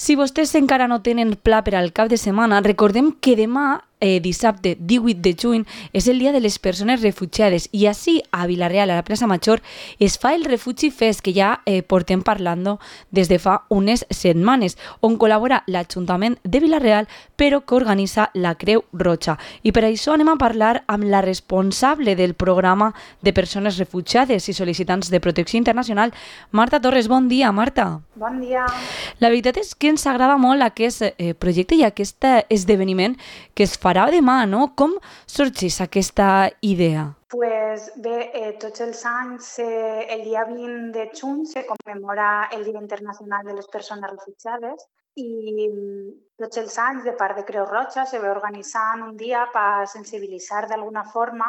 Si vostès encara no tenen pla per al cap de setmana, recordem que demà, dissabte 18 de juny, és el dia de les persones refugiades i així a Vila-real, a la plaça Major, es fa el Refugi Fest, que ja portem parlant des de fa unes setmanes, on col·labora l'Ajuntament de Vila-real, però que organitza la Creu Roja. I per això anem a parlar amb la responsable del programa de persones refugiades i sol·licitants de protecció internacional, Marta Torres. Bon dia, Marta. Bon dia. La veritat és que ens agrada molt aquest projecte i aquest esdeveniment que es farà demà, no? Com sorgeix aquesta idea? Pues bé, tots els anys, el dia 20 de juny, se commemora el Dia Internacional de les Persones Refugiades i tots els anys, de part de Creu Roja, se ve organitzant un dia per sensibilitzar d'alguna forma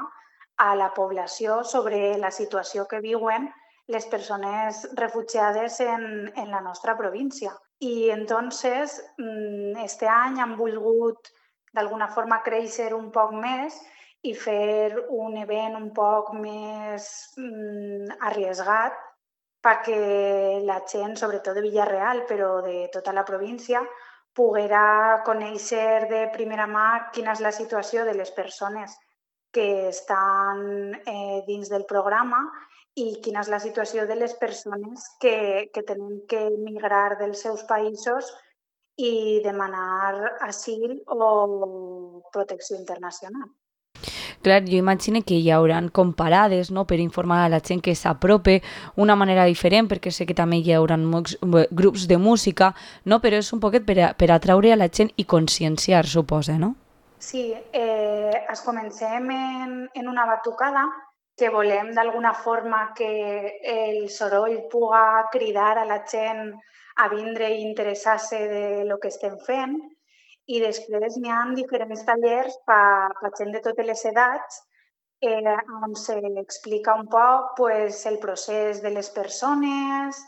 a la població sobre la situació que viuen les persones refugiades en la nostra província. Y entonces, este any han volgut d'alguna forma créixer un poc més i fer un event un poc més arriesgat perquè la gent, sobretot de Vila-real, però de tota la província, poguera conèixer de primera mà quina és la situació de les persones que estan dins del programa i quina és la situació de les persones que tenen que emigrar dels seus països i demanar asil o protecció internacional. Clar, jo imagino que hi haurà comparades, no?, per informar a la gent que s'aprope una manera diferent, perquè sé que també hi haurà molts grups de música, no?, però és un poquet per atraure a la gent i conscienciar, suposa, no? Sí, es comencem en una batucada que volem d'alguna forma que el soroll puga cridar a la gent a vindre i interessar-se de lo que estem fent i després n'hi ha diferents tallers per gent de totes les edats on s'explica un poc pues, el procés de les persones,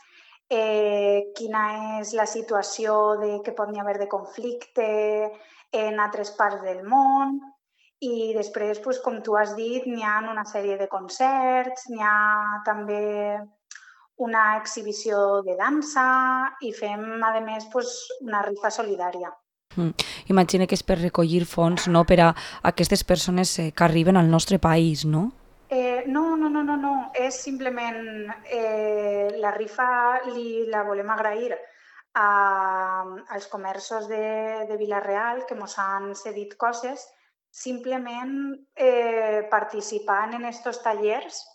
quina és la situació que pot haver de conflicte en altres parts del món i després, pues, com tu has dit, n'hi ha una sèrie de concerts, n'hi ha també una exhibició de dansa i fem, a més, pues, una rifa solidària. Imagina que és per recollir fons, no?, per a aquestes persones que arriben al nostre país, no? No. És simplement la rifa la volem agrair als comerços de Vila-real que ens han cedit coses, simplement participant en estos tallers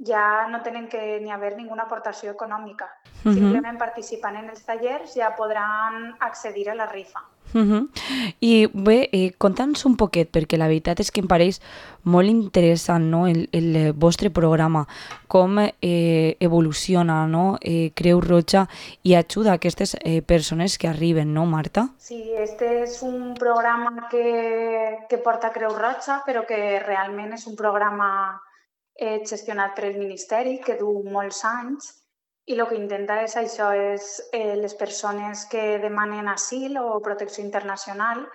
ja no tenen que ni haver ninguna aportació econòmica. Simplement participant en els tallers ja podran accedir a la rifa. I bé, conta'ns un poquet, perquè la veritat és que em pareix molt interessant, no?, el vostre programa, com evoluciona, no?, Creu Roja i ajuda a aquestes persones que arriben, no, Marta? Sí, este és un programa que porta Creu Roja, però que realment és un programa gestionat per el Ministeri, que du molts anys, i el que intenta és això, és les persones que demanen asil o protecció internacional,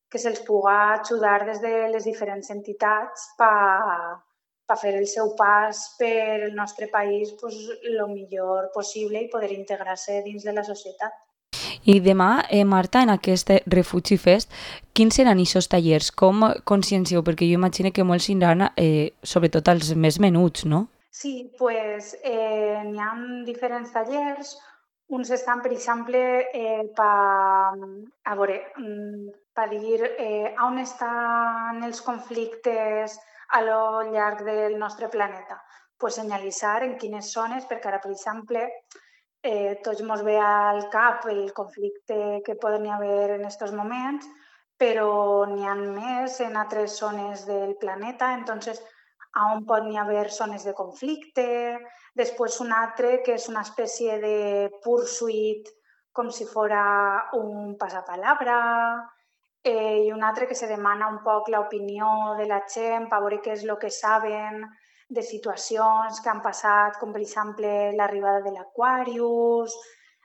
que se'ls puga ajudar des de les diferents entitats per fer el seu pas per el nostre país el millor possible i poder integrar-se dins de la societat. I demà, Marta, en aquest Refugi Fest, quins seran aquests tallers? Com consciencieu? Perquè jo imagino que molts aniran, sobretot els més menuts, no? Sí, pues n'hi ha diferents tallers. Uns estan, per exemple, per dir on estan els conflictes a lo llarg del nostre planeta. Pues senyalitzar en quines zones, perquè ara, per exemple, tots ens ve al cap el conflicte que poden haver en aquests moments, però n'hi ha més en altres zones del planeta, entonces on pot haver zones de conflicte, després un altre que és una espècie de pursuit com si fora un passapalabra, i un altre que se demana un poc l'opinió de la gent per veure què és el que saben de situacions que han passat, com per exemple l'arribada de l'Aquarius,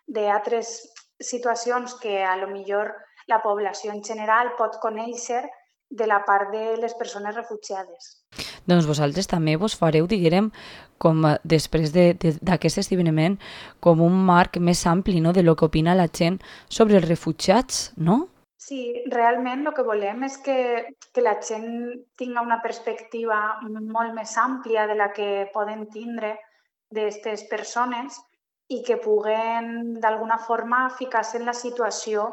d'altres situacions que a lo millor la població en general pot conèixer de la part de les persones refugiades. Doncs vosaltres també vos fareu, diguem, com després d'aquest esdeveniment, com un marc més ampli, no?, de lo que opina la gent sobre els refugiats, no? Sí, realment el que volem és que la gent tinga una perspectiva molt més àmplia de la que poden tindre d'aquestes persones i que puguen d'alguna forma ficar-se en la situació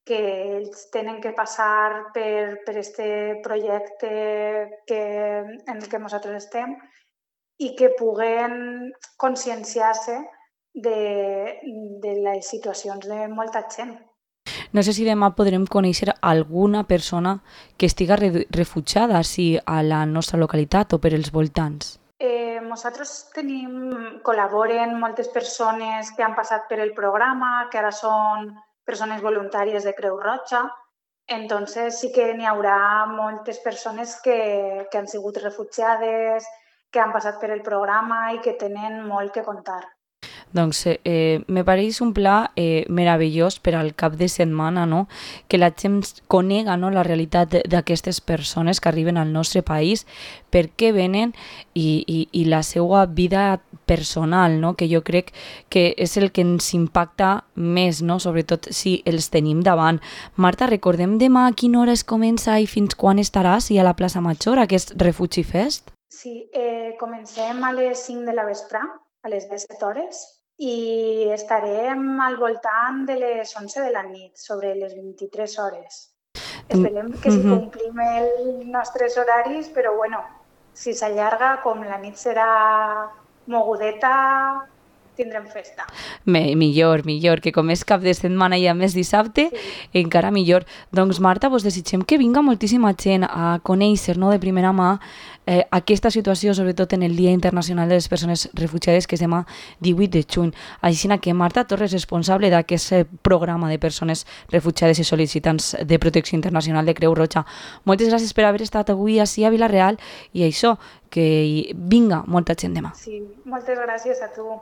que ells tenen que passar per este projecte en el que nosaltres estem i que puguen conscienciar-se de les situacions de molta gent. No sé si demà podrem conèixer alguna persona que estiga refugiada, si a la nostra localitat o per els voltants. Nosaltres col·laboren moltes persones que han passat per el programa, que ara són persones voluntàries de Creu Roja. Entonces sí que n'hi haurà moltes persones que han sigut refugiades, que han passat per el programa i que tenen molt que contar. Doncs me pareix un pla meravellós per al cap de setmana, no?, que la gent conega, no?, la realitat d'aquestes persones que arriben al nostre país, per què venen i la seva vida personal, no?, que jo crec que és el que ens impacta més, no?, sobretot si els tenim davant. Marta, recordem demà a quina hora es comença i fins quan estaràs a la plaça Major, aquest Refugi Fest? Sí, comencem a les 5 de la vespre, a les 17 hores, i estarem al voltant de les 11 de la nit, sobre les 23 hores. Esperem que si complim els nostres horaris, però bueno, si s'allarga, com la nit serà mogudeta, tindrem festa. Millor, que com és cap de setmana i a més dissabte, encara millor. Doncs Marta, vos desitgem que vinga moltíssima gent a conèixer, no?, de primera mà aquesta situació, sobretot en el Dia Internacional de les Persones Refugiades, que és demà 18 de juny. Així que Marta Torres, responsable d'aquest programa de persones refugiades i sol·licitants de protecció internacional de Creu Roja, moltes gràcies per haver estat avui ací a Vila-real i això, que vinga molta gent demà. Sí, moltes gràcies a tu.